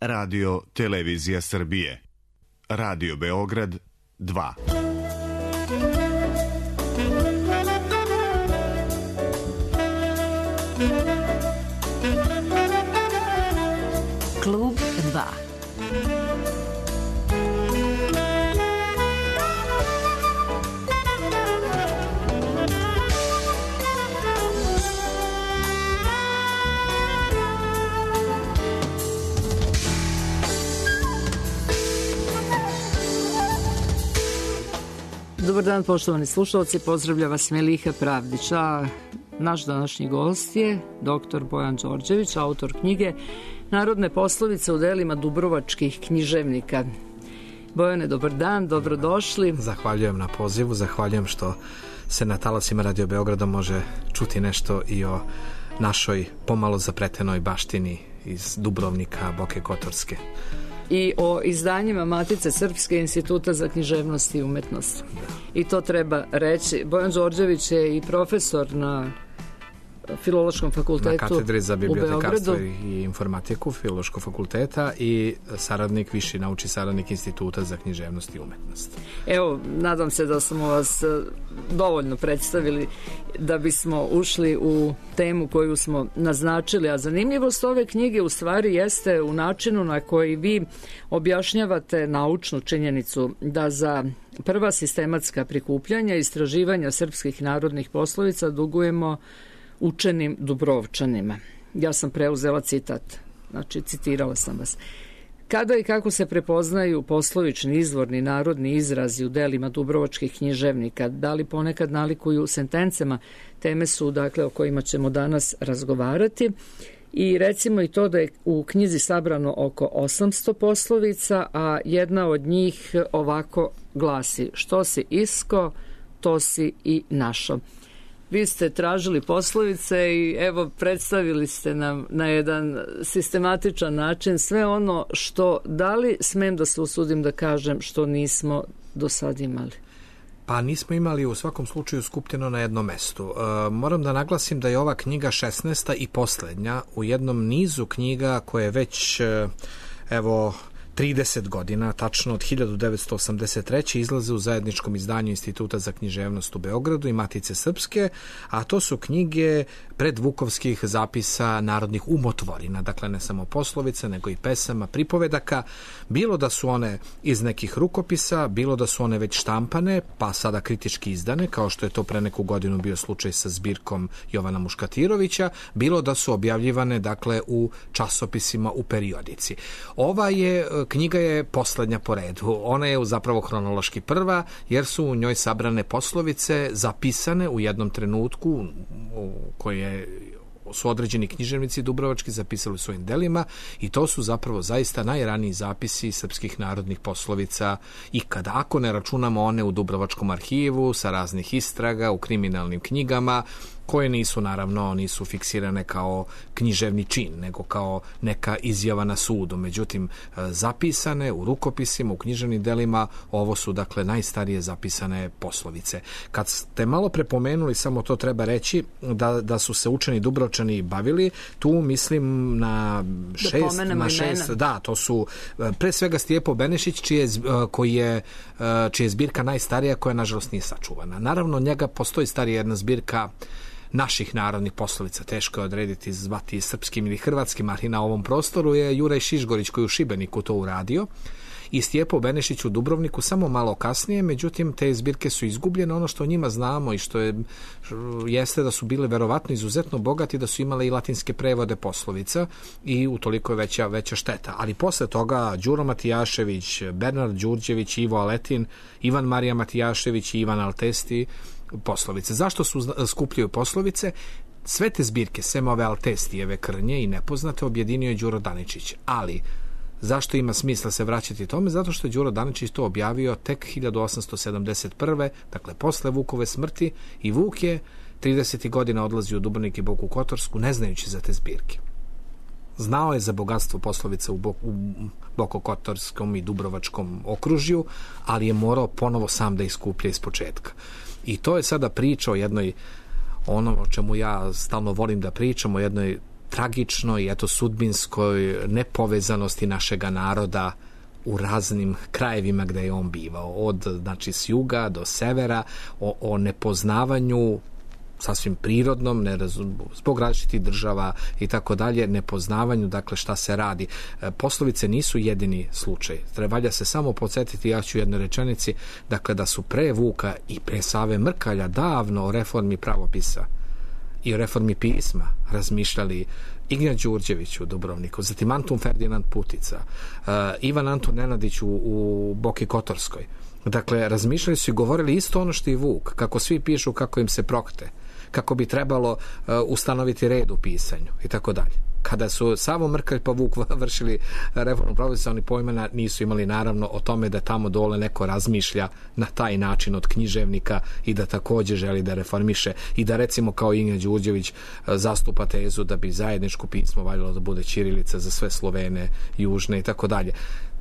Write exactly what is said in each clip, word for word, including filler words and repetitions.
Radio Televizija Srbije. Radio Beograd dva. Klub dva. Dobar dan, poštovani slušalci, pozdravlja vas Meliha Pravdić, a naš današnji gost je doktor Bojan Đorđević, autor knjige Narodne poslovice u delima dubrovačkih književnika. Bojane, dobar dan, dobrodošli. Zahvaljujem na pozivu, zahvaljujem što se na talasima Radio Beograda može čuti nešto i o našoj pomalo zapletenoj baštini iz Dubrovnika, Boke Kotorske. I o izdanjima Matice Srpske, Instituta za književnost i umetnost. I to treba reći. Bojan Đorđević je i profesor na Filološkom fakultetu na katedri za bibliotekarstvo u Beogradu i informatiku Filološkog fakulteta i saradnik, viši naučni saradnik Instituta za književnost i umetnost. Evo, nadam se da smo vas dovoljno predstavili da bismo ušli u temu koju smo naznačili, a zanimljivost ove knjige u stvari jeste u načinu na koji vi objašnjavate naučnu činjenicu da za prva sistematska prikupljanja i istraživanja srpskih narodnih poslovica dugujemo učenim Dubrovčanima. Ja sam preuzela citat, znači citirala sam vas. Kada i kako se prepoznaju poslovični, izvorni, narodni izrazi u delima dubrovačkih književnika? Da li ponekad nalikuju sentencama? Teme su, dakle, o kojima ćemo danas razgovarati. I recimo i to da je u knjizi sabrano oko osamsto poslovica, a jedna od njih ovako glasi: što si isko, to si i našo. Vi ste tražili poslovice i evo predstavili ste nam na jedan sistematičan način sve ono što, da li smem da se usudim da kažem, što nismo do sad imali? Pa nismo imali u svakom slučaju skupljeno na jednom mestu. E, moram da naglasim da je ova knjiga šesnaesta i poslednja u jednom nizu knjiga koje već e, evo trideset godina, tačno od hiljadu devetsto osamdeset treće izlaze u zajedničkom izdanju Instituta za književnost u Beogradu i Matice Srpske, a to su knjige predvukovskih zapisa narodnih umotvorina, dakle ne samo poslovice, nego i pesama, pripovedaka, bilo da su one iz nekih rukopisa, bilo da su one već štampane, pa sada kritički izdane, kao što je to pre neku godinu bio slučaj sa zbirkom Jovana Muškatirovića, bilo da su objavljivane, dakle, u časopisima u periodici. Ova je knjiga je poslednja po redu. Ona je zapravo hronološki prva, jer su u njoj sabrane poslovice zapisane u jednom trenutku koje su određeni književnici dubrovački zapisali u svojim delima i to su zapravo zaista najraniji zapisi srpskih narodnih poslovica ikada, ako ne računamo one u Dubrovačkom arhivu sa raznih istraga, u kriminalnim knjigama, koje nisu, naravno, nisu fiksirane kao književni čin, nego kao neka izjava na sudu. Međutim, zapisane u rukopisima, u književnim delima, ovo su, dakle, najstarije zapisane poslovice. Kad ste malo prepomenuli, samo to treba reći, da, da su se učeni Dubrovčani bavili, tu mislim na šest, na šest, da, to su pre svega Stijepo Benešić, čije, koji je, čija je zbirka najstarija, koja, nažalost, nije sačuvana. Naravno, njega postoji starija jedna zbirka naših narodnih poslovica, teško je odrediti, zvati srpskim ili hrvatskim, ali na ovom prostoru je Juraj Šišgorić koji u Šibeniku to uradio i Stijepo Benešić u Dubrovniku samo malo kasnije, međutim te zbirke su izgubljene. Ono što o njima znamo i što je, jeste da su bile verovatno izuzetno bogati, da su imale i latinske prevode poslovica i utoliko je veća, veća šteta. Ali posle toga Đuro Matijašević, Bernard Đurđević, Ivo Aletin, Ivan Marija Matijašević i Ivan Altesti poslovice. Zašto su skupljaju poslovice? Sve te zbirke, sem ove Altestijeve krnje i nepoznate, objedinio je Đuro Daničić. Ali zašto ima smisla se vraćati tome? Zato što je Đuro Daničić to objavio tek hiljadu osamsto sedamdeset prve, dakle posle Vukove smrti, i Vuk je tridesetih godina odlazio u Dubrovnik i Boku Kotorsku ne znajući za te zbirke. Znao je za bogatstvo poslovica u, Bok, u Bokokotorskom i Dubrovačkom okružju, ali je morao ponovo sam da iskuplja iz početka. I to je sada priča o jednoj, ono o čemu ja stalno volim da pričam, o jednoj tragičnoj, eto, sudbinskoj nepovezanosti našega naroda u raznim krajevima gde je on bivao, od, znači, s juga do severa, o, o nepoznavanju sasvim prirodnom, nerazum, zbog različitih država i tako dalje, nepoznavanju, dakle, šta se radi. E, poslovice nisu jedini slučaj. Treba se samo podsjetiti, ja ću u jednoj rečenici, dakle, da su pre Vuka i pre Save Mrkalja davno o reformi pravopisa i o reformi pisma razmišljali Ignja Đurđević u Dubrovniku, zatim Antun Ferdinand Putica, uh, Ivan Antun Nenadić u, u Boki Kotorskoj. Dakle, razmišljali su i govorili isto ono što i Vuk, kako svi pišu, kako im se prokte, kako bi trebalo uh, ustanoviti red u pisanju i tako dalje. Kada su Savo Mrkalj pa Vuk vršili reformu pravopisa, oni pojma nisu imali naravno o tome da tamo dole neko razmišlja na taj način od književnika i da takođe želi da reformiše i da, recimo, kao Inja Đurđević zastupa tezu da bi zajedničko pismo valjalo da bude ćirilica za sve Slovene, južne i tako dalje.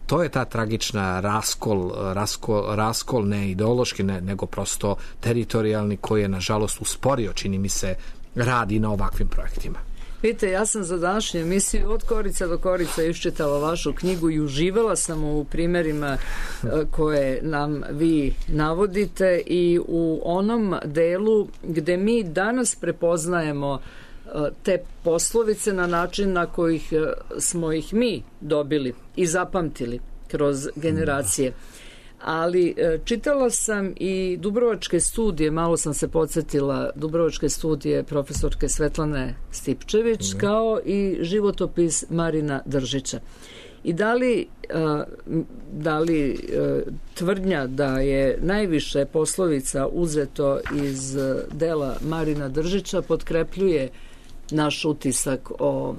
To je ta tragična raskol, raskol, raskol ne ideološki, ne, nego prosto teritorijalni, koji je, nažalost, usporio, čini mi se, radi na ovakvim projektima. Vidite, ja sam za današnju emisiju od korica do korica iščitala vašu knjigu i uživala sam u primjerima koje nam vi navodite i u onom delu gde mi danas prepoznajemo te poslovice na način na kojih smo ih mi dobili i zapamtili kroz generacije. Ali čitala sam i Dubrovačke studije, malo sam se podsjetila, Dubrovačke studije profesorke Svetlane Stipčević, mm. kao i životopis Marina Držića. I da li, da li tvrdnja da je najviše poslovica uzeto iz dela Marina Držića potkrepljuje naš utisak o...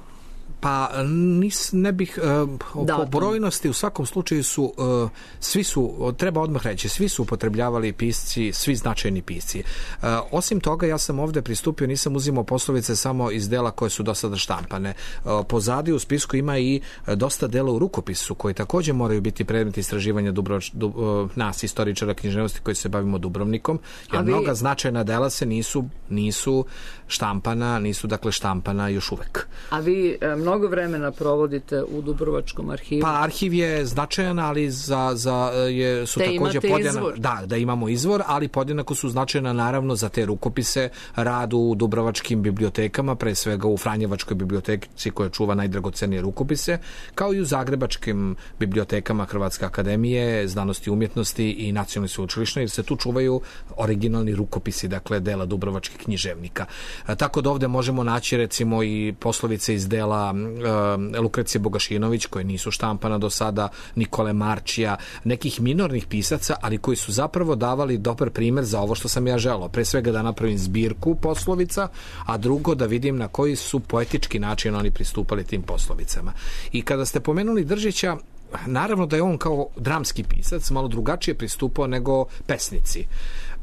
Pa nis, ne bih uh, po brojnosti u svakom slučaju su uh, svi su, treba odmah reći, svi su upotrebljavali pisci, svi značajni pisci. Uh, osim toga, ja sam ovde pristupio, nisam uzimao poslovice samo iz dela koje su do sada štampane. Uh, pozadi u spisku ima i dosta dela u rukopisu koji takođe moraju biti predmet istraživanja Dubrovač, du, uh, nas, istoričara književnosti koji se bavimo Dubrovnikom, jer vi... mnoga značajna dela se nisu, nisu štampana, nisu dakle štampana još uvek. A vi um, mnogo vremena provodite u Dubrovačkom arhivu? Pa arhiv je značajan, ali za, za je, su te takođe podjednako, da, da imamo izvor, ali podjednako su značajna naravno za te rukopise, rad u dubrovačkim bibliotekama, pre svega u Franjevačkoj biblioteci koja čuva najdragocenije rukopise, kao i u zagrebačkim bibliotekama Hrvatske akademije znanosti i umjetnosti i nacionalne sveučilišne, jer se tu čuvaju originalni rukopisi, dakle dela dubrovačkih književnika. A, tako da ovde možemo naći recimo i poslovice iz dela uh, Lukrecije Bogašinović, koje nisu štampana do sada, Nikole Marčija, nekih minornih pisaca, ali koji su zapravo davali dobar primer za ovo što sam ja želeo. Pre svega da napravim zbirku poslovica, a drugo da vidim na koji su poetički način oni pristupali tim poslovicama. I kada ste pomenuli Držića, naravno da je on kao dramski pisac malo drugačije pristupao nego pesnici.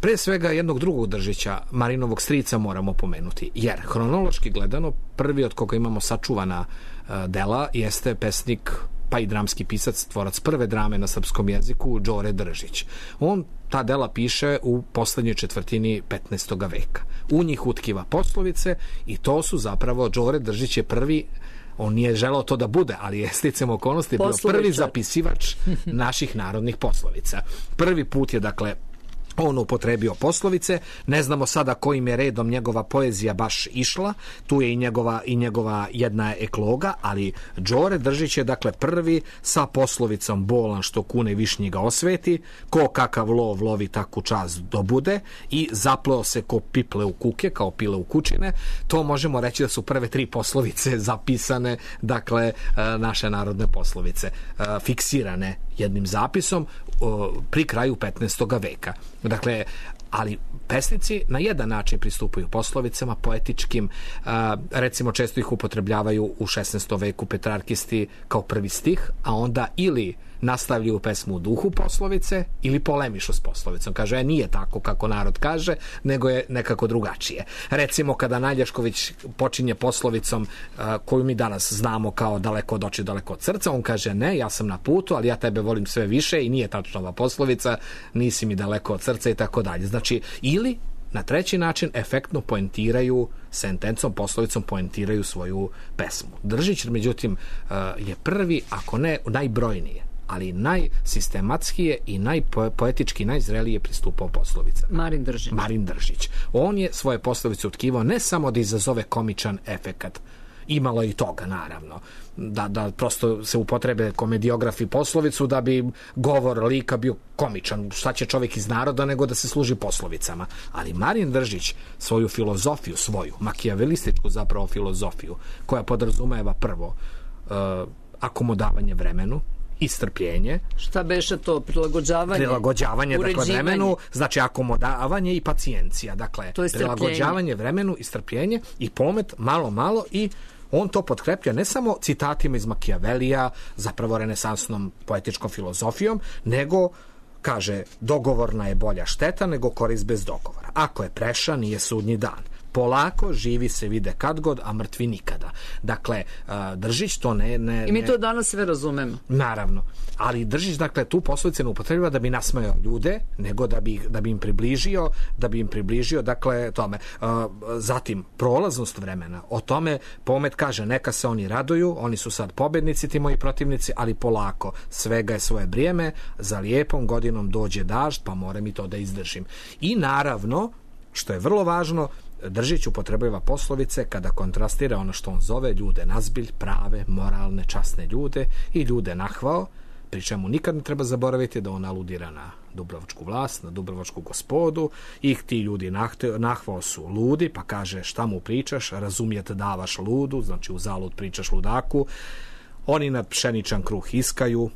Pre svega jednog drugog Držića, Marinovog strica, moramo pomenuti, jer hronološki gledano prvi od koga imamo sačuvana uh, dela jeste pesnik pa i dramski pisac, tvorac prve drame na srpskom jeziku, Đore Držić. On ta dela piše u poslednjoj četvrtini petnaestog veka. U njih utkiva poslovice i to su zapravo, Đore Držić je prvi, on nije želeo to da bude, ali je sticam okolnosti bio prvi zapisivač naših narodnih poslovica. Prvi put je, dakle, on upotrebio poslovice, ne znamo sada kojim je redom njegova poezija baš išla, tu je i njegova, i njegova jedna ekloga, ali Đore Držić je dakle prvi sa poslovicom bolan što kune višnji ga osveti, ko kakav lov lovi taku čast dobude i zapleo se ko piple u kuke, kao pile u kućine. To možemo reći da su prve tri poslovice zapisane, dakle naše narodne poslovice, fiksirane jednim zapisom pri kraju petnaestog veka. Dakle, ali pesnici na jedan način pristupaju poslovicama, poetičkim, recimo često ih upotrebljavaju u šesnaestom veku petrarkisti kao prvi stih, a onda ili nastavljaju pesmu u duhu poslovice ili polemišu s poslovicom. Kaže, e, nije tako kako narod kaže, nego je nekako drugačije. Recimo, kada Najlješković počinje poslovicom uh, koju mi danas znamo kao daleko od očiju, daleko od srca, on kaže, ne, ja sam na putu, ali ja tebe volim sve više i nije tačno ova poslovica, nisi mi daleko od srca i tako dalje. Znači, ili na treći način efektno poentiraju sentencom, poslovicom poentiraju svoju pesmu. Držić, međutim, je prvi, ako ne najbrojnije, ali najsistematskije i najpoetički najzrelije pristupao poslovicama. Marin Držić. Marin Držić. On je svoje poslovice utkivao ne samo da izazove komičan efekat, imalo je i toga, naravno, da, da prosto se upotrebe komediografi poslovicu da bi govor lika bio komičan. Šta će čovjek iz naroda nego da se služi poslovicama. Ali Marin Držić svoju filozofiju, svoju, makijavelističku zapravo filozofiju, koja podrazumeva prvo uh, akomodavanje vremenu i strpljenje. Šta beše to? Prilagođavanje? Prilagođavanje, dakle, vremenu, znači akomodavanje i pacijencija. Dakle, prilagođavanje vremenu i strpljenje i pomet malo, malo i on to potkreplja ne samo citatima iz Makijavelija, zapravo renesansnom poetičkom filozofijom, nego kaže, dogovorna je bolja šteta nego korist bez dogovora. Ako je preša, nije sudnji dan. Polako, živi se vide kad god, a mrtvi nikada. Dakle, Držić to ne... ne I mi to danas sve razumemo. Naravno. Ali Držić, dakle, tu poslovice ne upotrebljava da bi nasmejao ljude, nego da bi, da bi im približio, da bi im približio, dakle, tome. Zatim, prolaznost vremena. O tome pomet kaže, neka se oni raduju, oni su sad pobednici, ti moji protivnici, ali polako, svega je svoje vrijeme, za lijepom godinom dođe dažd, pa moram i to da izdržim. I naravno, što je vrlo važno, Držić upotrebljava poslovice kada kontrastira ono što on zove ljude nazbilj, prave, moralne, časne ljude i ljude nahvao, pri čemu nikad ne treba zaboraviti da on aludira na dubrovačku vlast, na dubrovačku gospodu i ti ljudi nahvao su ludi, pa kaže šta mu pričaš, razumijete davaš ludu, znači u zalud pričaš ludaku, oni na pšeničan kruh iskaju,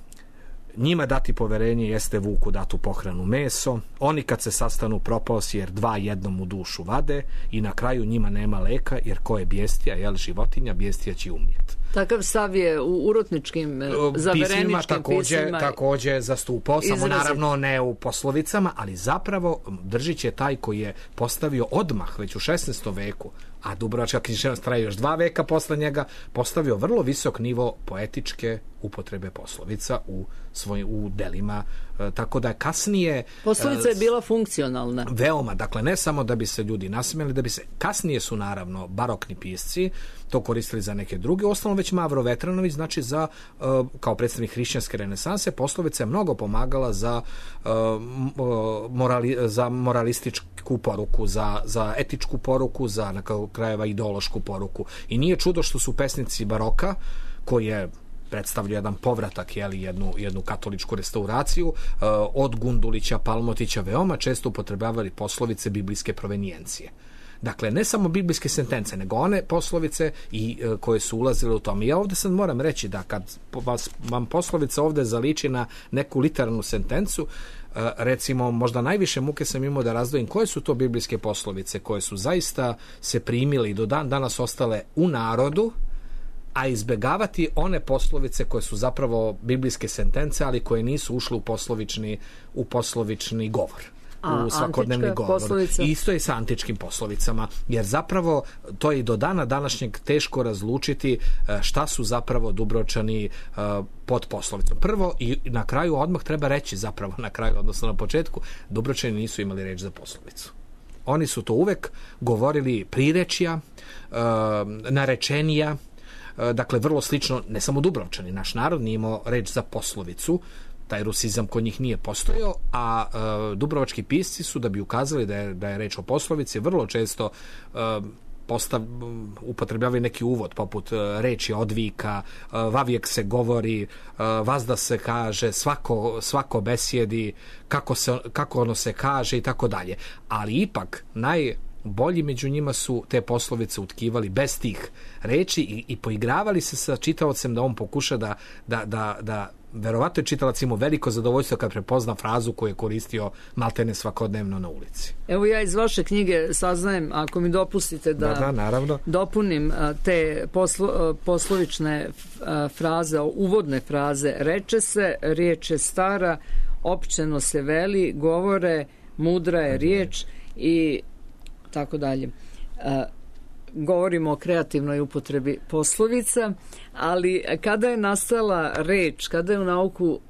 njima dati poverenje jeste vuku datu pohranu meso, oni kad se sastanu propao si jer dva jednom u dušu vade i na kraju njima nema leka jer ko je bjestija, jel životinja, bjestija će umjeti. Takav stav je u urotničkim, zavereničkim pisima. Također, također zastupao, samo izrazi. Naravno ne u poslovicama, ali zapravo Držić je taj koji je postavio odmah već u šesnaestom veku, a Dubrovačka književnost traje još dva veka posle njega, postavio vrlo visok nivo poetičke upotrebe poslovica u svoj, u delima, e, tako da kasnije... Poslovica je bila funkcionalna. Veoma, dakle, ne samo da bi se ljudi nasmijali, da bi se... Kasnije su, naravno, barokni pisci to koristili za neke druge, ostalo već Mavro Vetranović, znači za, e, kao predstavnik hrišćanske renesanse, poslovica je mnogo pomagala za, e, morali, za moralističku poruku, za, za etičku poruku, za na krajeva ideološku poruku. I nije čudo što su pesnici baroka, koji je predstavlja jedan povratak, jeli, jednu, jednu katoličku restauraciju, eh, od Gundulića, Palmotića, veoma često upotrebljavali poslovice biblijske provenijencije. Dakle, ne samo biblijske sentence, nego one poslovice i e, koje su ulazile u tom. I ja ovdje sad moram reći da kad vas, vam poslovica ovdje zaliči na neku literarnu sentencu, e, recimo, možda najviše muke sam imao da razdvojim koje su to biblijske poslovice koje su zaista se primili i do dan danas ostale u narodu, a izbegavati one poslovice koje su zapravo biblijske sentence, ali koje nisu ušle u poslovični, u poslovični govor. A, u svakodnevni govor. Poslovica? Isto je sa antičkim poslovicama, jer zapravo to je i do dana današnjeg teško razlučiti šta su zapravo Dubrovčani pod poslovicom. Prvo i na kraju odmah treba reći, zapravo na kraju, odnosno na početku, Dubrovčani nisu imali reč za poslovicu. Oni su to uvek govorili prirečja, narečenija, dakle vrlo slično, ne samo Dubrovčani, naš narod nije imao reč za poslovicu, taj rusizam kod njih nije postojao, a e, dubrovački pisci su, da bi ukazali da je, da je reč o poslovici, vrlo često e, postav, upotrebljavaju neki uvod, poput e, reči odvika, e, vavijek se govori, e, vazda se kaže, svako, svako besjedi, kako, se, kako ono se kaže i tako dalje. Ali ipak, naj... bolji među njima su te poslovice utkivali bez tih reči i, i poigravali se sa čitaocem da on pokuša da, da, da, da verovatno je čitalac imao veliko zadovoljstvo kad prepozna frazu koju je koristio maltene svakodnevno na ulici. Evo ja iz vaše knjige saznajem, ako mi dopustite da, da, da naravno. dopunim te poslo, poslovične fraze, uvodne fraze. Reče se, riječ je stara, općeno se veli, govore, mudra je riječ i tako dalje. E, govorimo o kreativnoj upotrebi poslovica, ali kada je nastala reč, kada je u nauku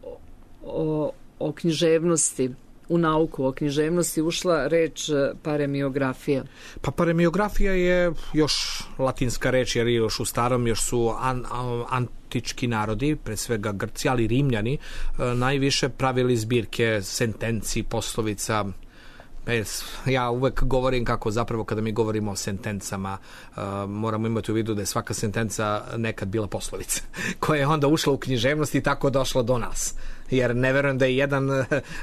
o, o književnosti u nauku o književnosti ušla reč paremiografija? Pa paremiografija je još latinska reč, jer još u starom još su an, an, antički narodi, pre svega Grci, ali Rimljani, najviše pravili zbirke sentenci, poslovica. Ja uvek govorim kako zapravo kada mi govorimo o sentencama uh, moramo imati u vidu da je svaka sentenca nekad bila poslovica koja je onda ušla u književnost i tako došla do nas. Jer ne verujem da je jedan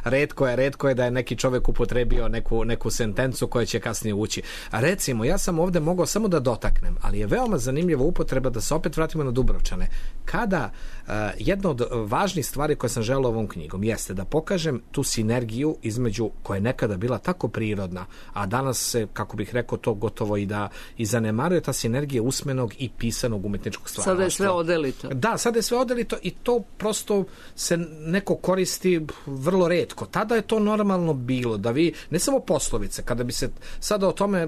retko je, retko je da je neki čovek upotrebio neku, neku sentencu koja će kasnije ući. A recimo, ja sam ovde mogao samo da dotaknem, ali je veoma zanimljiva upotreba da se opet vratimo na Dubrovčane. Kada uh, jedna od važnih stvari koje sam želeo ovom knjigom jeste da pokažem tu sinergiju između koja je nekada bila tako prirodna, a danas se, kako bih rekao, to gotovo i da i zanemaruje ta sinergija usmenog i pisanog umetničkog stvaralaštva. Sada je sve odelito. Da, sada je sve odelito i to prosto se neko koristi vrlo retko. Tada je to normalno bilo, da vi, ne samo poslovice, kada bi se sada o tome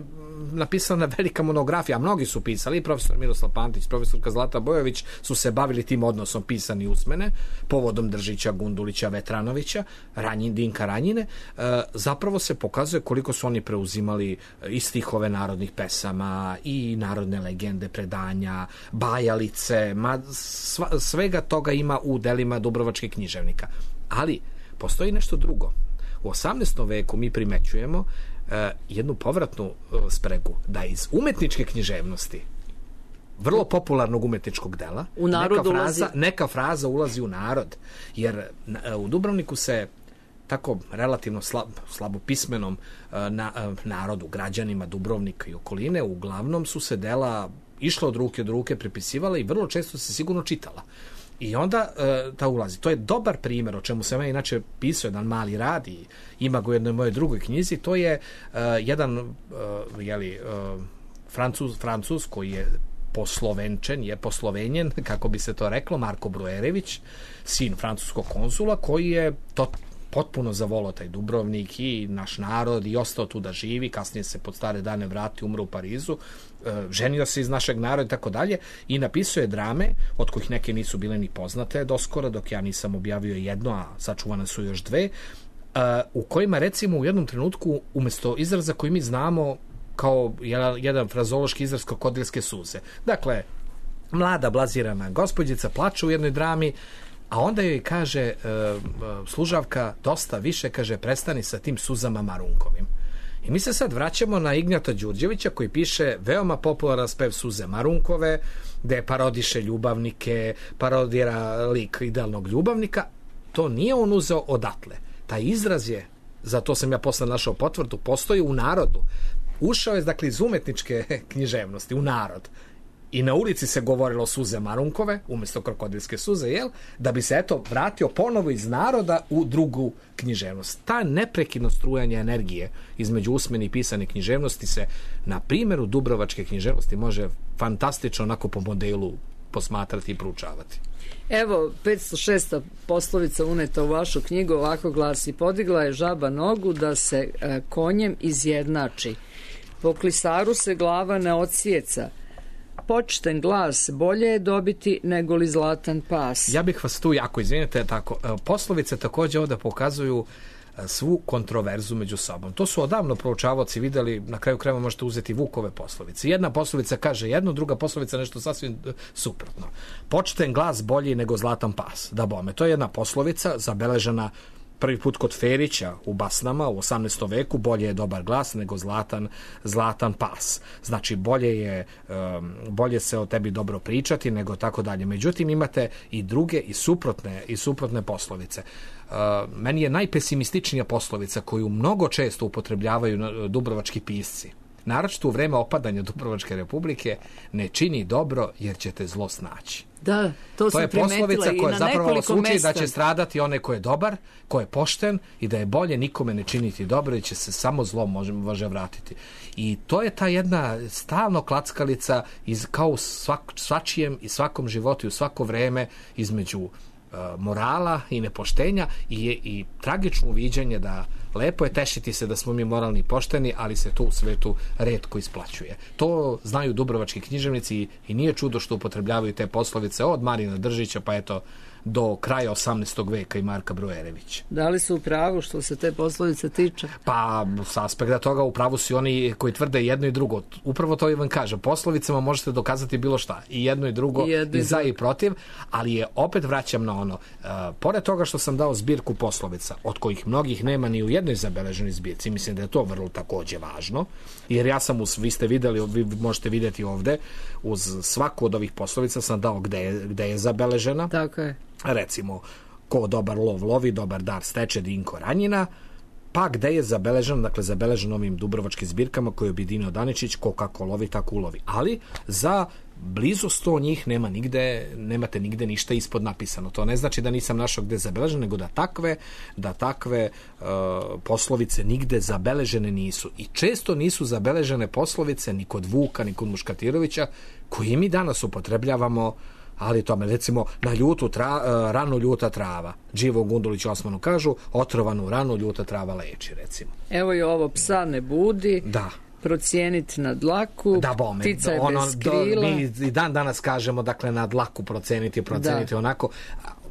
napisala na velika monografija, a mnogi su pisali, i profesor Miroslav Pantić, profesorka Zlata Bojović su se bavili tim odnosom pisani i usmene, povodom Držića, Gundulića, Vetranovića, Ranjin, Dinka Ranjine, e, zapravo se pokazuje koliko su oni preuzimali i stihove narodnih pesama, i narodne legende, predanja, bajalice, ma, sva, svega toga ima u delima dubrovačkih književnika. Ali, postoji nešto drugo. U osamnaestom veku mi primećujemo uh, jednu povratnu uh, spregu, da iz umetničke književnosti, vrlo popularnog umetničkog dela, u neka fraza, ulazi... neka fraza ulazi u narod. Jer uh, u Dubrovniku se tako relativno slab, slabopismenom uh, na, uh, narodu, građanima Dubrovnika i okoline, uglavnom su se dela išla od ruke do ruke, prepisivala i vrlo često se sigurno čitala. I onda uh, ta ulazi. To je dobar primjer, o čemu sam ja inače pisao jedan mali rad i ima ga u jednoj mojoj drugoj knjizi. To je uh, jedan uh, jeli, uh, Francuz, Francuz koji je poslovenčen, je poslovenjen, kako bi se to reklo, Marko Brujerević, sin francuskog konzula, koji je to potpuno zavolao taj Dubrovnik i naš narod i ostao tu da živi, kasnije se pod stare dane vrati, umro u Parizu, ženio se iz našeg naroda i tako dalje i napisao je drame, od kojih neke nisu bile ni poznate doskora, dok ja nisam objavio jedno, a sačuvane su još dve, u kojima recimo u jednom trenutku umesto izraza koji mi znamo kao jedan, jedan frazološki izraz krokodilske suze. Dakle, mlada blazirana gospođica plače u jednoj drami, a onda joj kaže e, služavka, dosta više, kaže, prestani sa tim suzama Marunkovim. I mi se sad vraćamo na Ignjata Đurđevića koji piše veoma popularan spev Suze Marunkove, gde parodiše ljubavnike, parodira lik idealnog ljubavnika. To nije on uzeo odatle. Taj izraz je, za to sam ja posle našao potvrdu, postoji u narodu. Ušao je, dakle, iz umetničke književnosti u narod. I na ulici se govorilo suze Marunkove, umjesto krokodilske suze, jel? Da bi se, eto, vratio ponovo iz naroda u drugu književnost. Ta neprekidno strujanje energije između usmene i pisane književnosti se na primjeru dubrovačke književnosti može fantastično onako po modelu posmatrati i proučavati. Evo, petsto šesta poslovica uneta u vašu knjigu ovako glasi: podigla je žaba nogu da se e, konjem izjednači. Po klisaru se glava ne odsjeca. Počten glas bolje je dobiti nego li zlatan pas. Ja bih vas tu jako, izvinite, tako, poslovice također ovdje pokazuju svu kontroverzu među sobom. To su odavno proučavaoci videli, na kraju krajeva možete uzeti Vukove poslovice. Jedna poslovica kaže jedno, druga poslovica nešto sasvim suprotno. Počten glas bolji nego zlatan pas. Da bome, to je jedna poslovica zabeležena prvi put kod Ferića u Basnama u osamnaestom veku, bolje je dobar glas nego zlatan, zlatan pas. Znači, bolje je um, bolje se o tebi dobro pričati nego tako dalje. Međutim, imate i druge i suprotne, i suprotne poslovice. Uh, meni je najpesimističnija poslovica koju mnogo često upotrebljavaju dubrovački pisci, naročito u vreme opadanja Dubrovačke republike: ne čini dobro jer ćete zlo snaći. Da, to, to je poslovica koja zapravo vas uči da će stradati onaj ko je dobar, ko je pošten i da je bolje nikome ne činiti dobro i će se samo zlo može, može vratiti. I to je ta jedna stalno klackalica iz, kao u svak, svačijem i svakom životu i u svako vreme između uh, morala i nepoštenja i, i tragično uviđanje da lepo je tešiti se da smo mi moralni i pošteni, ali se to u svetu retko isplaćuje. To znaju dubrovački književnici i nije čudo što upotrebljavaju te poslovice od Marina Držića pa eto do kraja osamnaestog veka i Marka Brojerevića. Da li su u pravu što se te poslovice tiče? Pa, s aspekta toga u pravu su oni koji tvrde jedno i drugo. Upravo to i vam kažem. Poslovicama možete dokazati bilo šta. I jedno i drugo, i, i za i protiv, ali je, opet vraćam na ono, uh, pored toga što sam dao zbirku poslovica, od kojih mnogih nema ni u jednoj zabeleženoj zbirci, mislim da je to vrlo takođe važno, jer ja sam, uz, vi ste videli, vi možete vidjeti ovde, uz svaku od ovih poslovica sam dao gde je, gde je zabeležena. Tako je. Recimo, ko dobar lov lovi, dobar dar steče, Dinko Ranjina, pa gde je zabeleženo, dakle zabeleženo ovim dubrovačkim zbirkama koje je objedinio Daničić, ko kako lovi, tako ulovi. Ali za blizu sto njih nema nigde, nemate nigde ništa ispod napisano. To ne znači da nisam našao gde je zabeleženo, nego da takve, da takve uh, poslovice nigde zabeležene nisu. I često nisu zabeležene poslovice ni kod Vuka, ni kod Muškatirovića, koje mi danas upotrebljavamo, ali tome, recimo, na ljutu tra, uh, ranu ljuta trava. Đivo Gundulić Osmanu kažu, otrovanu ranu ljuta trava leči, recimo. Evo je ovo, psa ne budi. Da. Procijeniti na dlaku, da, bome, ptica je ono, bez krila. Do, mi i dan danas kažemo, dakle, na dlaku proceniti, proceniti da. Onako,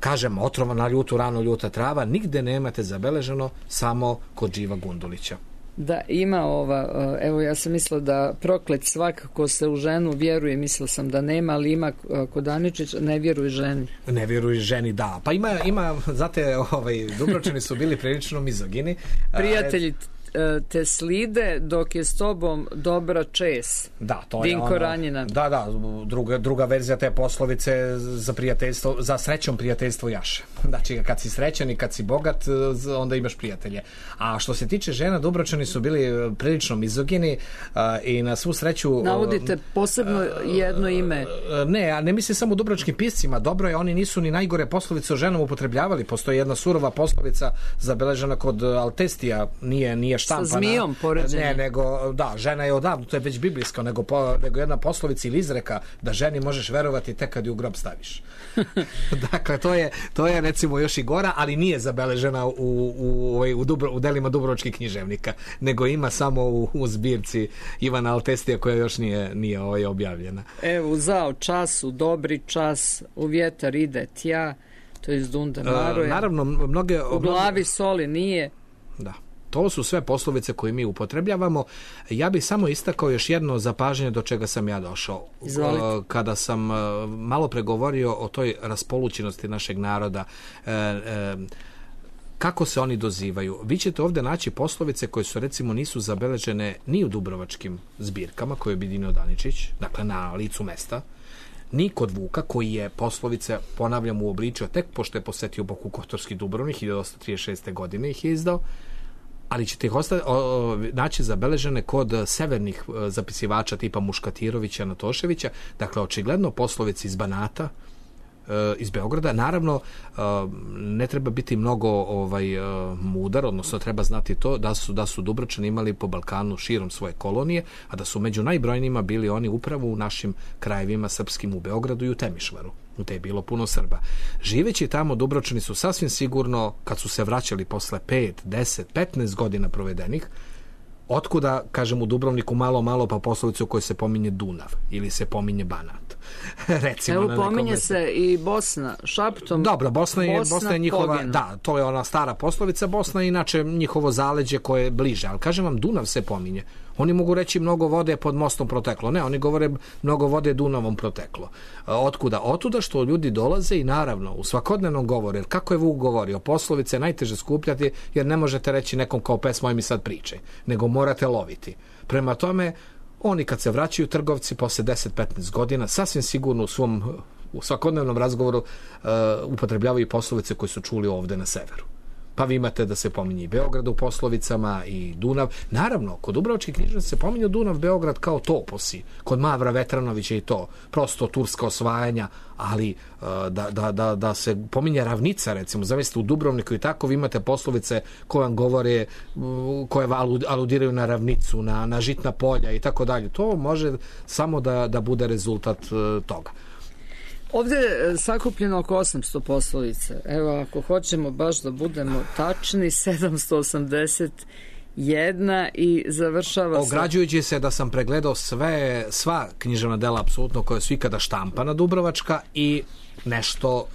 kažemo, otrovana ljutu ranu ljuta trava, nigde nemate zabeleženo, samo kod Điva Gundulića. Da, ima ova, evo ja sam mislila da proklet svakako se u ženu vjeruje, mislila sam da nema, ali ima kod Daničić, ne vjeruje ženi. Ne vjeruje ženi, da. Pa ima, ima znate, ovaj, Dubrovčani su bili prilično mizogini. Prijatelji te slide dok je s tobom dobra čes. Da, to Dinko je ono, Ranjina. Da, da, druga, druga verzija te poslovice za prijateljstvo, za srećom prijateljstvo jaše. Znači, kad si srećan i kad si bogat, onda imaš prijatelje. A što se tiče žena, Dubrovčani su bili prilično mizogini uh, i na svu sreću... Navodite posebno jedno ime. Uh, ne, a ne mislim samo u dubrovačkim piscima. Dobro je, oni nisu ni najgore poslovice o ženom upotrebljavali. Postoji jedna surova poslovica zabeležena kod Altestija, nije, nije štampana. Sa zmijom poređenje. Ne, nego, da, žena je odavno, to je već biblijsko, nego, po, nego jedna poslovica ili izreka da ženi možeš verovati tek kad ju u grob staviš. Dakle, to je, to je recimo još i gora, ali nije zabeležena u, u, u, Dubro, u delima dubrovačkih književnika, nego ima samo u, u zbirci Ivana Altestija koja još nije, nije ovaj objavljena. Evo, uzao čas, u dobri čas, u vjetar ide tja, to je iz Dunda Maroja. E, naravno, mnoge... U glavi soli nije. Da. To su sve poslovice koje mi upotrebljavamo. Ja bih samo istakao još jedno zapažanje do čega sam ja došao. Izvolite. Kada sam malo pregovorio o toj raspolućenosti našeg naroda, kako se oni dozivaju. Vi ćete ovdje naći poslovice koje su, recimo, nisu zabeležene ni u dubrovačkim zbirkama koje je objedinio Daničić, dakle na licu mesta, ni kod Vuka, koji je poslovice, ponavljam, uobličio tek pošto je posetio Boku Kotorski Dubrovnik, hiljadu osamsto trideset šeste. godine ih je izdao, ali ćete ih osta, o, naći zabeležene kod severnih zapisivača tipa Muškatirovića, Natoševića, dakle, očigledno poslovice iz Banata, iz Beograda. Naravno, ne treba biti mnogo ovaj mudar, odnosno treba znati to da su da su Dubrovčani imali po Balkanu širom svoje kolonije, a da su među najbrojnijima bili oni upravo u našim krajevima srpskim, u Beogradu i u Temišvaru. U te je bilo puno Srba. Živeći tamo, Dubrovčani su sasvim sigurno, kad su se vraćali posle pet, deset, petnaest godina provedenih, otkuda, kažem, u Dubrovniku malo, malo pa poslovicu u kojoj se pominje Dunav ili se pominje Banat. Recimo, evo, pominje mestu. Se i Bosna, šaptom. Dobro, Bosna je, Bosna, Bosna je njihova, poginu. Da, to je ona stara poslovica, Bosna je inače njihovo zaleđe koje je bliže, ali kažem vam, Dunav se pominje. Oni mogu reći mnogo vode pod mostom proteklo. Ne, oni govore mnogo vode Dunavom proteklo. Otkuda? Otuda što ljudi dolaze i naravno u svakodnevnom govoru, jer kako je Vuk govorio, poslovice najteže skupljati, jer ne možete reći nekom kao pesmo mi sad pričaj, nego morate loviti. Prema tome, oni kad se vraćaju trgovci posle deset do petnaest godina, sasvim sigurno u svom u svakodnevnom razgovoru uh, upotrebljavaju poslovice koje su čuli ovde na severu. Pa vi imate da se pominje i Beograd u poslovicama i Dunav. Naravno, kod dubrovačkih književnika se pominje Dunav, Beograd kao toposi. Kod Mavra Vetranovića i to. Prosto turska osvajanja, ali uh, da, da, da, da se pominje ravnica, recimo, zamislite u Dubrovniku i tako, vi imate poslovice koje vam govore, uh, koje aludiraju na ravnicu, na, na žitna polja i tako dalje. To može samo da, da bude rezultat uh, toga. Ovdje je sakupljeno oko osamsto poslovica. Evo, ako hoćemo baš da budemo tačni, sedamsto osamdeset jedna i završava se... Ograđujući se da sam pregledao sve, sva književna dela apsolutno koja su ikada štampana dubrovačka i nešto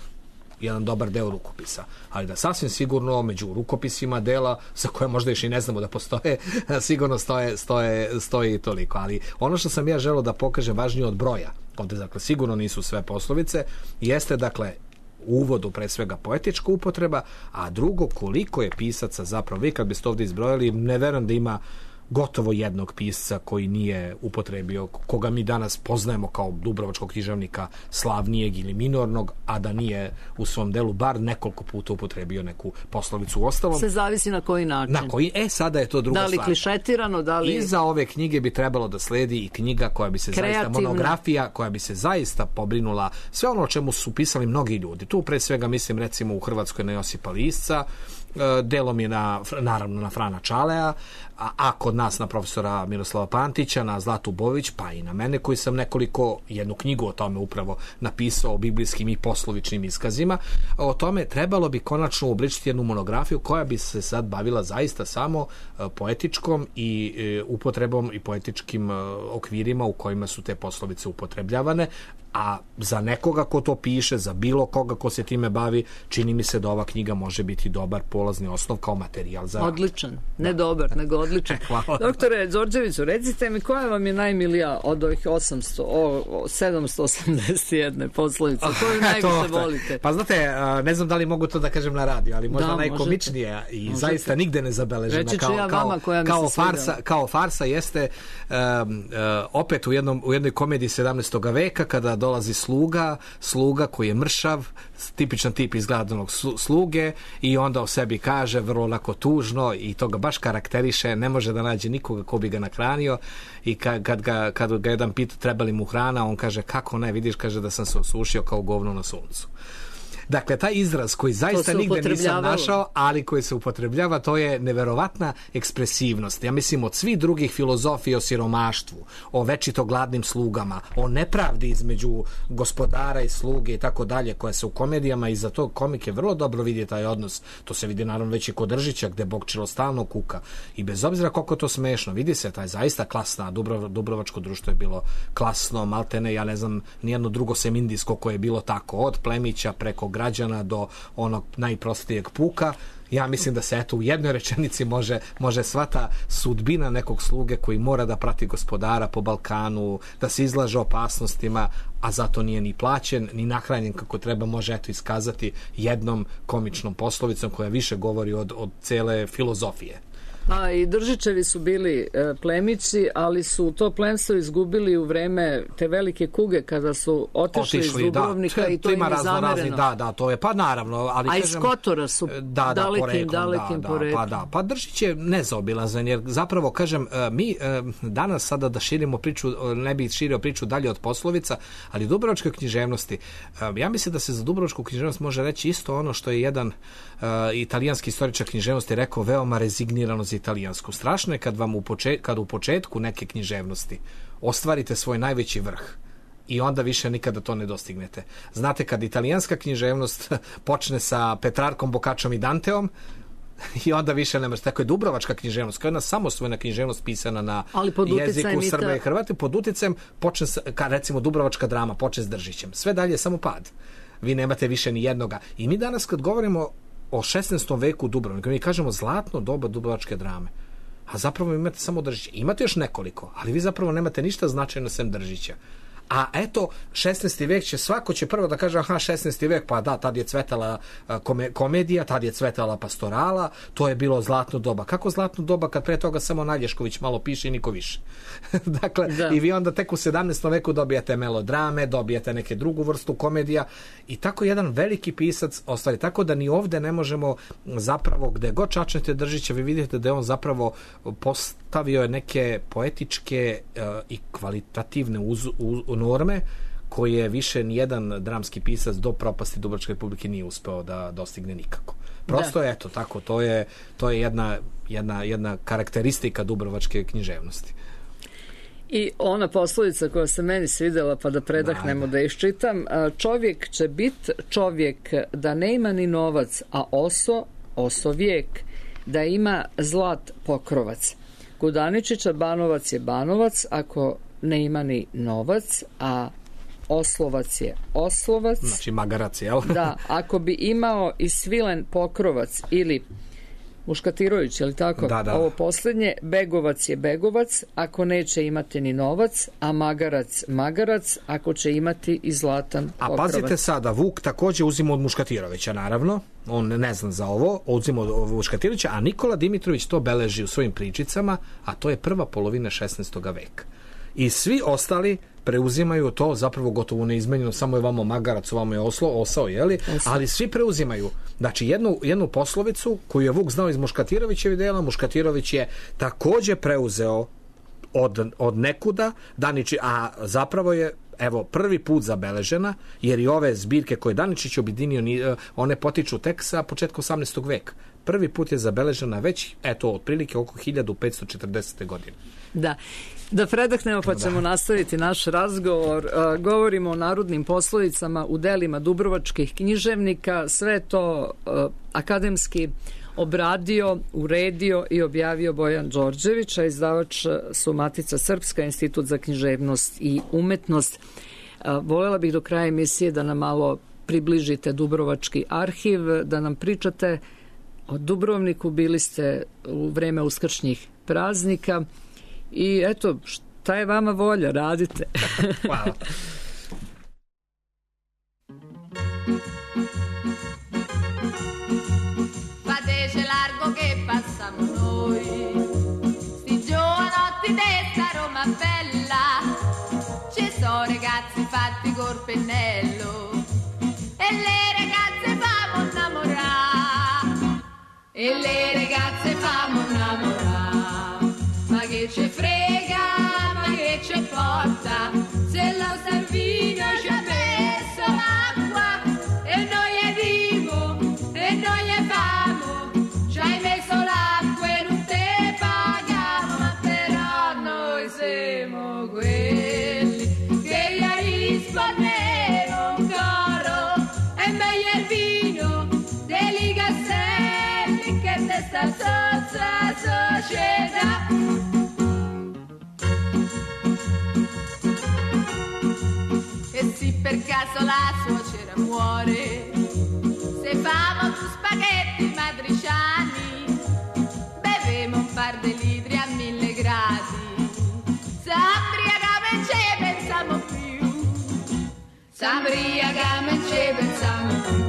jedan dobar deo rukopisa, ali da sasvim sigurno među rukopisima dela za koje možda još i ne znamo da postoje, sigurno stoje, stoje, stoji toliko. Ali ono što sam ja želeo da pokažem važnije od broja, ovde dakle sigurno nisu sve poslovice, jeste dakle u uvodu pre svega poetička upotreba, a drugo koliko je pisaca zapravo, vi kad biste ovde izbrojali, ne verujem da ima gotovo jednog pisca koji nije upotrebio, koga mi danas poznajemo kao dubrovačkog književnika slavnijeg ili minornog, a da nije u svom delu bar nekoliko puta upotrebio neku poslovicu. U ostalom, se zavisi na koji način. Na koji, e, sada je to druga stvar. Da li stvar. Klišetirano, da li... Iza ove knjige bi trebalo da sledi i knjiga koja bi se kreativna, zaista, monografija, koja bi se zaista pobrinula sve ono o čemu su pisali mnogi ljudi. Tu pre svega mislim recimo u Hrvatskoj na Josipa Lisca, delom je na, naravno na Frana Čalea, a, a kod nas na profesora Miroslava Pantića, na Zlatu Bović, pa i na mene koji sam nekoliko, jednu knjigu o tome upravo napisao, o biblijskim i poslovičnim iskazima. O tome trebalo bi konačno uobličiti jednu monografiju koja bi se sad bavila zaista samo poetičkom i e, upotrebom i poetičkim e, okvirima u kojima su te poslovice upotrebljavane, a za nekoga ko to piše, za bilo koga ko se time bavi, čini mi se da ova knjiga može biti dobar polazni osnov kao materijal za... Odličan, ne dobar, nego odličan. Hvala. Doktore Đorđeviću, recite mi koja vam je najmilija od ovih osamsto, o, sedamsto osamdeset jedne poslovice, koju najviše volite? Pa znate, ne znam da li mogu to da kažem na radiju, ali možda da, najkomičnija i možete. Zaista nigde ne zabeležena kao, ja kao, kao, farsa, kao farsa jeste um, uh, opet u, jednom, u jednoj komediji sedamnaestog veka kada dolazi sluga, sluga koji je mršav, tipičan tip izgledanog sluge i onda o sebi kaže vrlo lako tužno i to ga baš karakteriše, ne može da nađe nikoga ko bi ga nahranio i kad, kad, ga, kad ga jedan pita treba li mu hrana, on kaže kako ne, vidiš, kaže da sam se osušio kao govno na suncu. Dakle, taj izraz koji zaista nigde nisam našao, ali koji se upotrebljava, to je neverovatna ekspresivnost. Ja mislim, od svih drugih filozofija o siromaštvu, o večito gladnim slugama, o nepravdi između gospodara i sluge i tako dalje, koja se u komedijama i za to komike vrlo dobro vidi taj odnos. To se vidi naravno već i kod Držića, gde Bokčilo stalno kuka. I bez obzira koliko to smešno, vidi se taj zaista klasna, Dubrov, Dubrovačko društvo je bilo klasno, maltene, ja ne znam, nijedno drugo semindijsko koje je bilo tako, od plemića preko građana do onog najprostijeg puka. Ja mislim da se eto u jednoj rečenici može, može sva ta sudbina nekog sluge koji mora da prati gospodara po Balkanu, da se izlaže opasnostima, a zato nije ni plaćen, ni nahranjen kako treba, može eto iskazati jednom komičnom poslovicom koja više govori od, od cele filozofije. A i Držićevi su bili e, plemići, ali su to plemstvo izgubili u vreme te velike kuge kada su otišli, otišli iz Dubrovnika, da, i to, to im je zamereno. Da, da, to je, pa naravno. Ali, a kažem, iz Kotora su da, da, dalekim, poreklom, dalekim da, poreklom. Pa da, pa Držić je nezaobilazan, jer zapravo, kažem, mi danas sada da širimo priču, ne bih širio priču dalje od poslovica, ali dubrovačke književnosti, ja mislim da se za dubrovačku književnost može reći isto ono što je jedan uh, italijanski istoričar književnosti rekao veoma rezignirano za italijansku. Strašno je kad vam u, počet, kad u početku neke književnosti ostvarite svoj najveći vrh i onda više nikada to ne dostignete. Znate, kad italijanska književnost počne sa Petrarkom, Bokačom i Danteom, i onda više ne može. Tako je dubrovačka književnost, kao jedna samosvojna književnost pisana na jeziku Srba i Hrvata, pod uticajem počne, ka, recimo dubrovačka drama, počne s Držićem. Sve dalje je samo pad. Vi nemate više ni jednoga. I mi danas kad govorimo o šesnaestom veku Dubrovnika, mi kažemo zlatno doba dubrovačke drame. A zapravo imate samo Držića. Imate još nekoliko, ali vi zapravo nemate ništa značajno sem Držića. A eto, šesnaesti vek će, svako će prvo da kaže, aha, šesnaesti vek, pa da, tad je cvetala kome, komedija, tad je cvetala pastorala, to je bilo zlatno doba. Kako zlatno doba kad pre toga samo Nalješković malo piše i niko više? Dakle, da. I vi onda tek u sedamnaestom veku dobijate melodrame, dobijate neke drugu vrstu komedija i tako jedan veliki pisac ostvari. Tako da ni ovde ne možemo zapravo, gde god čačnete Držića, vi vidite da je on zapravo postavio neke poetičke uh, i kvalitativne uz, uz, norme koje više nijedan dramski pisac do propasti Dubrovačke republike nije uspeo da dostigne nikako. Prosto da. je eto tako, to je, to je jedna, jedna, jedna karakteristika dubrovačke književnosti. I ona poslovica koja se meni svidela, pa da predahnemo da, da iščitam, čovjek će bit čovjek da ne ima ni novac, a oso, oso vijek, da ima zlat pokrovac. Kod Aničića Banovac je Banovac ako ne ima ni novac, a oslovac je oslovac. Znači magarac, jel? Da, ako bi imao i svilen pokrovac ili muškatirović, je li tako? Da, da. Ovo posljednje, begovac je begovac, ako neće imati ni novac, a magarac magarac, ako će imati i zlatan pokrovac. A pazite sada, Vuk također uzima od Muškatirovića, naravno, on ne zna za ovo, uzima od Muškatirovića, a Nikola Dimitrović to beleži u svojim pričicama, a to je prva polovina šesnaestog veka. I svi ostali preuzimaju to zapravo gotovo neizmenjeno, samo je vamo magarac, vamo je oslo, osao, jeli? Osao. Ali svi preuzimaju. Znači, jednu, jednu poslovicu koju je Vuk znao iz Muškatirovićevih dela, Muškatirović je također preuzeo od, od nekuda, Daniči, a zapravo je evo, prvi put zabeležena, jer i ove zbirke koje Daničić objedinio, one potiču tek sa početka osamnaestog veka. Prvi put je zabeležena već, eto, otprilike oko hiljadu petsto četrdesete godine. Da. Da predahnemo pa ćemo da. nastaviti naš razgovor. Uh, govorimo o narodnim poslovicama u delima dubrovačkih književnika. Sve to uh, akademski obradio, uredio i objavio Bojan Đorđević, a izdavač su Matica Srpska, Institut za književnost i umetnost. Uh, voljela bih do kraja emisije da nam malo približite Dubrovački arhiv, da nam pričate o Dubrovniku. Bili ste u vreme uskršnjih praznika. I eto, šta je vama volja, radite. Hvala. Fatece largo che passamo noi, sti giovanotti d'esta Roma bella, ci sono ragazzi fatti col pennello e le ragazze famo innamorare, e le ragazze famo innamorare. Ma che ci frega, ma che ci porta, se lo Salvino ci ha messo l'acqua e noi è vivo e noi è famo, ci hai messo l'acqua e non te paghiamo, ma però noi siamo quelli che gli rispondemo un coro, è meglio il vino dei Gasselli che testa sozza società. Per caso la suocera muore, se famo due spaghetti matriciani, bevemo un par di litri a mille gradi, s'ambriagamo e ce pensiamo più, s'ambriagamo e ce pensiamo più,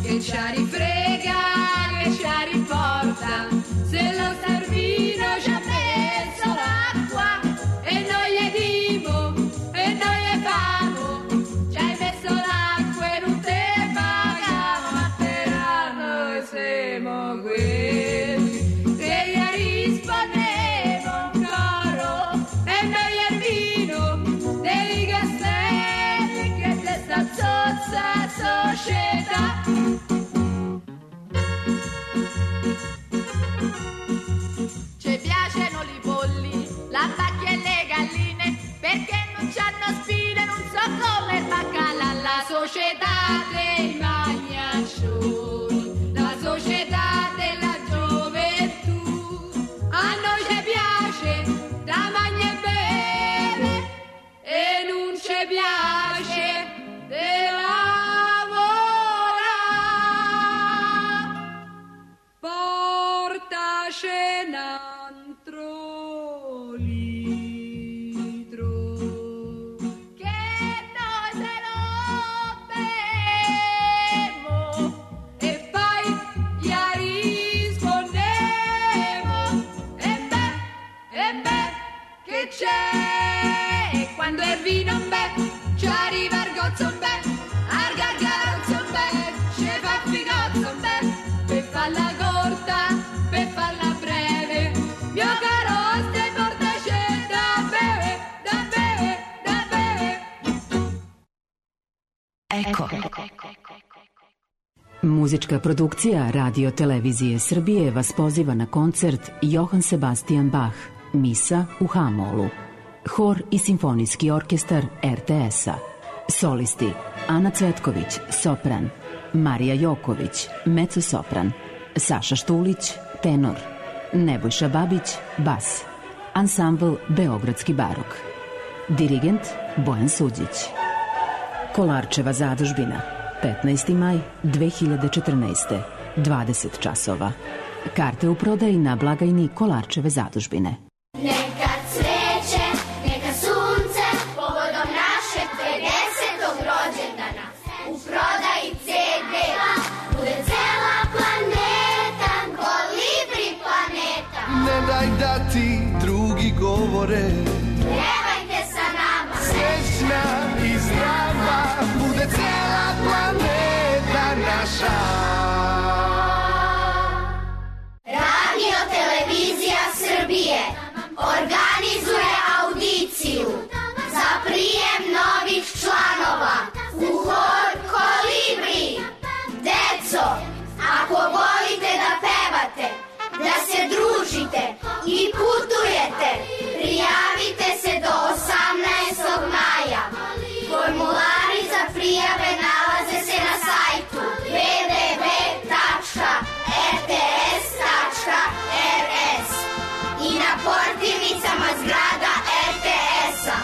che ci rifrega, che ci riporta, se lo Salvino ci ha messo l'acqua e noi è divo e noi è famo. Siamo quelli che gli rispondemo un coro, e meglio il vino dei Gasselli che testa zozza società. Ci piacciono i polli, la vacca e le galline, perché non c'hanno spine, non so come il baccalà, la società dei magnaccioni. Società della gioventù, a noi ci piace da mangiare e bere e non ci piace di lavorare. Portaci un altro litro che noi se lo bemo e poi c'è, e quando è vino un bel, ci arriva il gozzo un bel, al gargarozzo un bel, ci fa figozzo un bel, per farla corta, per farla breve, mio caro stai portaci da bere, da bere, da bere. Eko. Muzička produkcija Radio Televizije Srbije vas poziva na koncert Johann Sebastian Bach, Misa u H-molu. Hor i simfonijski orkestar er te es-a. Solisti Ana Cvetković, sopran, Marija Joković, mezzo-sopran, Saša Štulić, tenor, Nebojša Babić, bas. Ansambl Beogradski barok. Dirigent Bojan Suđić. Kolarčeva zadužbina. petnaesti maj dve hiljade četrnaeste. dvadeset časova. Karte u prodaji na blagajni Kolarčeve zadužbine. Neka cveće, neka sunce, povodom našeg pedesetog rođendana. U prodaji ce de bude cela planeta, kolibri planeta. Ne daj da ti drugi govore, Pjevajte sa nama, srećna i zdrava, bude cela planeta naša. Radio Televizija Srbije organizuje audiciju za prijem novih članova u hor Kolibri. Deco, ako volite da pevate, da se družite i putujete, prijavite se do osamnaestog maja. Formulari za prijave nalaze se na sajtu w w w tačka r t s tačka r s i na portirnicama zgrada er te esa,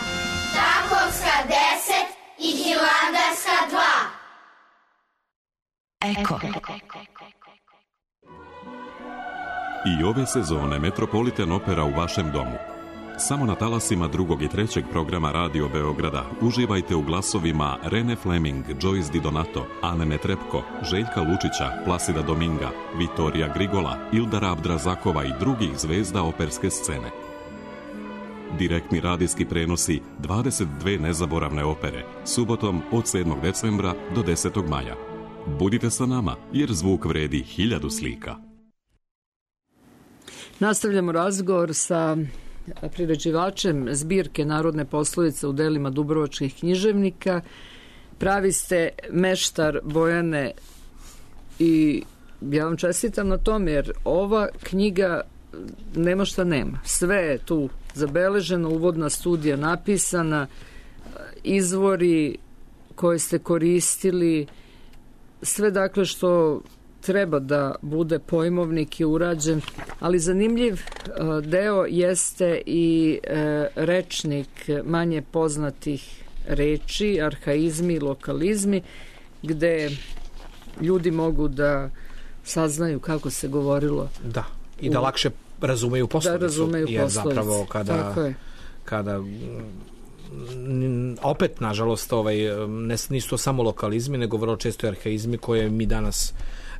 Takovska deset i Hilandarska dva. Eko. I ove sezone Metropolitan Opera u vašem domu. Samo na talasima drugog i trećeg programa Radio Beograda uživajte u glasovima Rene Fleming, Joyce Di Donato, Ane Netrepko, Željka Lučića, Plasida Dominga, Vitorija Grigola, Ildara Abdrazakova i drugih zvezda operske scene. Direktni radijski prenosi dvadeset dve nezaboravne opere, subotom od sedmog decembra do desetog maja. Budite sa nama, jer zvuk vredi hiljadu slika. Nastavljamo razgovor sa priređivačem zbirke Narodne poslovice u delima dubrovačkih književnika. Pravi ste meštar, Bojane, i ja vam čestitam na tom, jer ova knjiga nema šta nema. Sve je tu zabeleženo, uvodna studija napisana, izvori koje ste koristili, sve dakle što treba da bude pojmovnik je urađen, ali zanimljiv deo jeste i rečnik manje poznatih reči, arhaizmi, lokalizmi, gde ljudi mogu da saznaju kako se govorilo. Da, i da lakše razumeju poslovicu. Da razumeju poslovicu. Zapravo kada, kada opet, nažalost, ovaj, nisu to samo lokalizmi, nego vrlo često i arhaizmi koje mi danas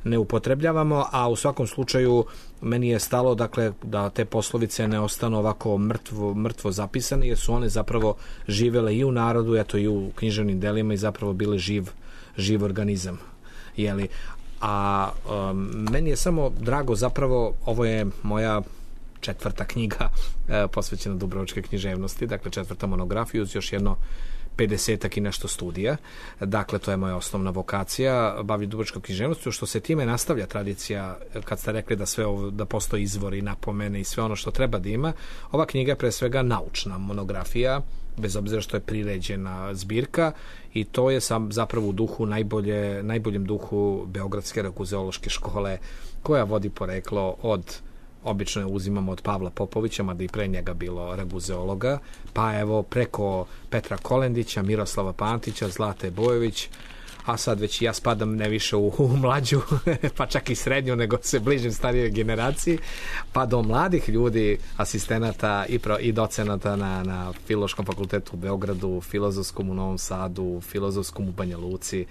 ne upotrebljavamo, a u svakom slučaju meni je stalo, dakle, da te poslovice ne ostanu ovako mrtvo, mrtvo zapisane, jer su one zapravo živele i u narodu, eto i u književnim delima i zapravo bile živ, živ organizam. Jeli? A um, meni je samo drago, zapravo, ovo je moja četvrta knjiga e, posvećena dubrovačke književnosti, dakle četvrta monografija uz još jedno pedesetak i nešto studija. Dakle, to je moja osnovna vokacija, bavi dubrovačkom književnošću, što se time nastavlja tradicija, kad ste rekli da sve ovo, da postoji izvori, napomene i sve ono što treba da ima. Ova knjiga je pre svega naučna monografija, bez obzira što je priređena zbirka, i to je sam zapravo u duhu najbolje, najboljem duhu Beogradske raguzeološke škole, koja vodi poreklo od, obično je uzimamo od Pavla Popovića, mada i pre njega bilo raguzeologa, pa evo preko Petra Kolendića, Miroslava Pantića, Zlate Bojović, a sad već ja spadam ne više u, u mlađu, pa čak i srednju, nego se bližim starijoj generaciji, pa do mladih ljudi, asistenata i, pro, i docenata na, na Filološkom fakultetu u Beogradu, Filozofskom u Novom Sadu, Filozofskom u Banja Luci.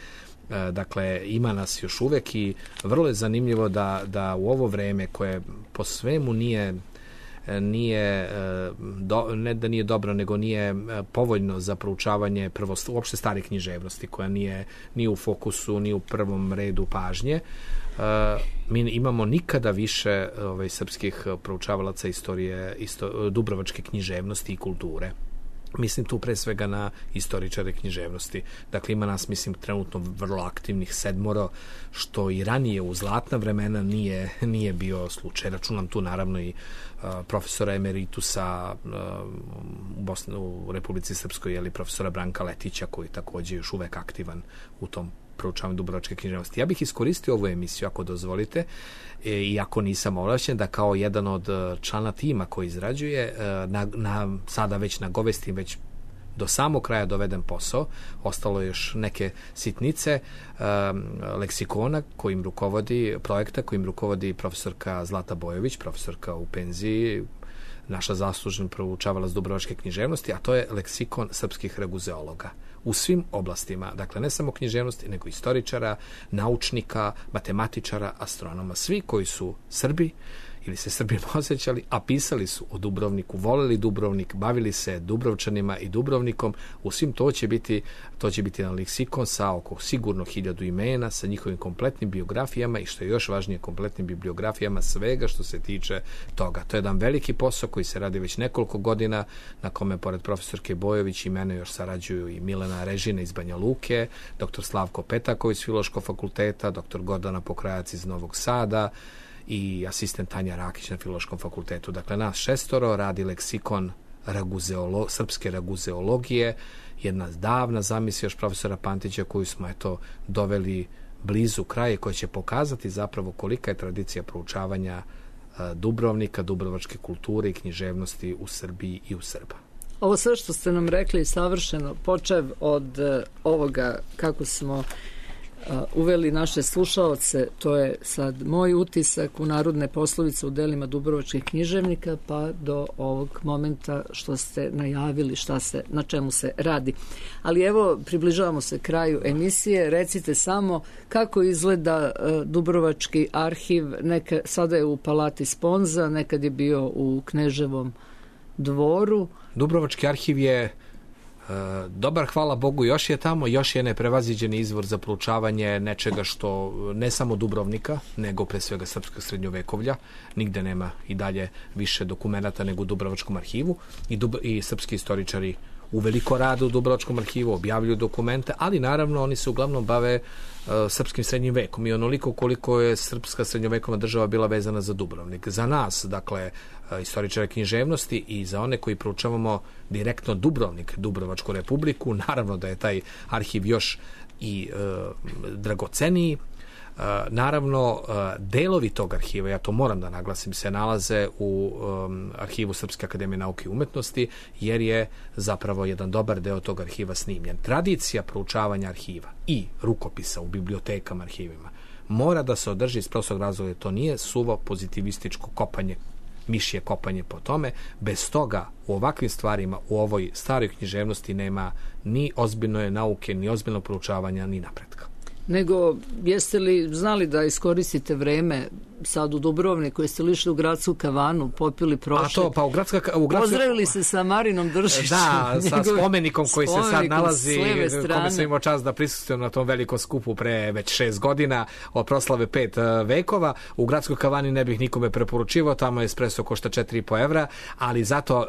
Dakle, ima nas još uvek i vrlo je zanimljivo da, da u ovo vreme koje po svemu nije nije do, ne da nije dobro, nego nije povoljno za proučavanje prvo uopšte starih književnosti, koja nije ni u fokusu, ni u prvom redu pažnje. Mi imamo nikada više ovaj, srpskih proučavalaca istorije, isto, dubrovačke književnosti i kulture. Mislim tu pre svega na istoričare književnosti. Dakle, ima nas, mislim, trenutno vrlo aktivnih sedmoro, što i ranije u zlatna vremena nije, nije bio slučaj. Računam tu naravno i uh, profesora emeritusa uh, u, Bosni, u Republici Srpskoj, ili profesora Branka Letića, koji takođe još uvek aktivan u tom proučavanju dubrovačke književnosti. Ja bih iskoristio ovu emisiju, ako dozvolite, e, iako nisam ovlašćen, da kao jedan od člana tima koji izrađuje, na, na, sada već nagovestim već do samog kraja doveden posao. Ostalo je još neke sitnice um, leksikona kojim rukovodi, projekta kojim rukovodi profesorka Zlata Bojović, profesorka u penziji, naša zaslužna proučavalac dubrovačke književnosti, a to je leksikon srpskih raguzeologa u svim oblastima, dakle ne samo književnosti, nego istoričara, naučnika, matematičara, astronoma, svi koji su Srbi ili se Srbima osjećali, a pisali su o Dubrovniku, voleli Dubrovnik, bavili se Dubrovčanima i Dubrovnikom, u svim to će biti, to će biti jedan leksikon sa oko sigurno hiljadu imena, sa njihovim kompletnim biografijama i što je još važnije, kompletnim bibliografijama svega što se tiče toga. To je jedan veliki posao koji se radi već nekoliko godina, na kome pored profesorke Bojović i mene još sarađuju i Milena Režina iz Banja Luke, doktor Slavko Petaković iz Filološkog fakulteta, doktor Gordana Pokrajac iz Novog Sada i asistent Tanja Rakić na Filološkom fakultetu. Dakle, nas šestoro radi leksikon raguzeolo, srpske raguzeologije, jedna davna zamisla još profesora Pantića koju smo eto doveli blizu kraja, koja će pokazati zapravo kolika je tradicija proučavanja Dubrovnika, dubrovačke kulture i književnosti u Srbiji i u Srba. Ovo sve što ste nam rekli savršeno, počev od ovoga kako smo uveli naše slušaoce, to je sad moj utisak u narodne poslovice u delima dubrovačkih književnika, pa do ovog momenta što ste najavili šta se, na čemu se radi. Ali evo, približavamo se kraju emisije, recite samo kako izgleda uh, Dubrovački arhiv, neka, sada je u Palati Sponza, nekad je bio u Kneževom dvoru. Dubrovački arhiv je dobar, hvala Bogu, još je tamo, još je neprevaziđeni izvor za proučavanje nečega što ne samo Dubrovnika, nego pre svega srpskog srednjovekovlja. Nigde nema i dalje više dokumenata nego u Dubrovačkom arhivu i, dub, i srpski istoričari uveliko rade u Dubrovačkom arhivu, objavljuju dokumente, ali naravno oni se uglavnom bave uh, srpskim srednjim vekom i onoliko koliko je srpska srednjovekovna država bila vezana za Dubrovnik. Za nas, dakle, uh, istoričare književnosti i za one koji proučavamo direktno Dubrovnik, Dubrovačku republiku, naravno da je taj arhiv još i uh, dragoceniji. Uh, naravno, uh, delovi tog arhiva, ja to moram da naglasim, se nalaze u um, arhivu Srpske akademije nauke i umetnosti, jer je zapravo jedan dobar deo tog arhiva snimljen. Tradicija proučavanja arhiva i rukopisa u bibliotekama, arhivima mora da se održi iz prostog razloga, to nije suvo pozitivističko kopanje, mišje kopanje po tome. Bez toga u ovakvim stvarima, u ovoj staroj književnosti nema ni ozbiljne nauke, ni ozbiljnog proučavanja, ni napretka. Nego, jeste li znali da iskoristite vreme sad u Dubrovniku, jeste li išli u gradsku kavanu, popili prošle, a to, pa u gradska, u gradska... pozdravili se sa Marinom Držićem, da, sa njegov... spomenikom koji spomenikom se sad nalazi, kome sam imao čast da prisustvujem na tom velikom skupu pre već šest godina od proslave pet vekova. U gradskoj kavani ne bih nikome preporučivao, tamo espresso košta četiri i po evra, ali zato uh,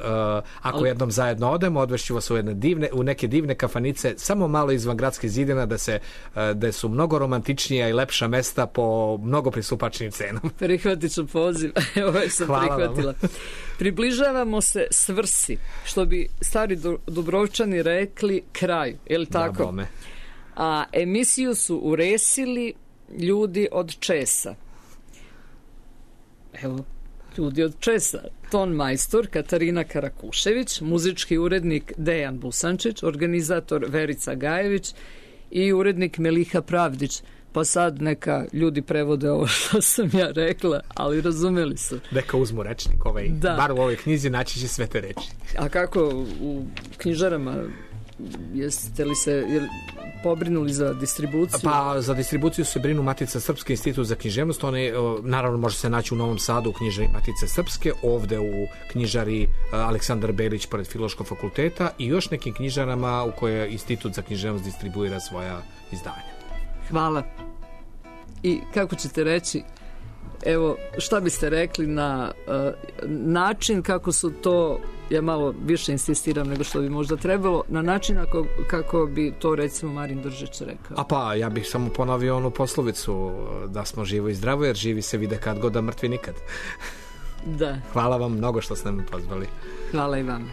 ako ali... jednom zajedno odemo, odvešću vas u, jedne divne, u neke divne kafanice, samo malo izvan gradske zidina, da, se, uh, da su mnogo romantičnija i lepša mesta po mnogo pristupačnim cenama. Prihvatit ću poziv. Ovo sam Hvala prihvatila. Vam. Približavamo se svrsi, što bi stari Dubrovčani rekli kraju, je li tako? Da, a emisiju su uresili ljudi od Česa. Evo, ljudi od Česa. Ton majstor Katarina Karakušević, muzički urednik Dejan Busančić, organizator Verica Gajević i urednik Meliha Pravdić. Pa sad neka ljudi prevode ovo što sam ja rekla, ali razumeli su. Neka uzmu rečnik, ovaj, da. Bar u ovoj knjizi naći će sve te reči. A kako u knjižarama, jeste li se jel, pobrinuli za distribuciju? Pa za distribuciju se brinu Matica Srpske, Institut za književnost, one naravno može se naći u Novom Sadu u knjižari Matice Srpske, ovde u knjižari Aleksandar Belić pored Filološkog fakulteta i još nekim knjižarama u koje Institut za književnost distribuira svoja izdanja. Hvala. I kako ćete reći, evo, šta biste rekli na uh, način kako su to, ja malo više insistiram nego što bi možda trebalo, na način ako, kako bi to recimo Marin Držić rekao? A pa, ja bih samo ponovio onu poslovicu da smo živo i zdravo, jer živi se vide kad god, a mrtvi nikad. Da. Hvala vam mnogo što ste me pozvali. Hvala i vama.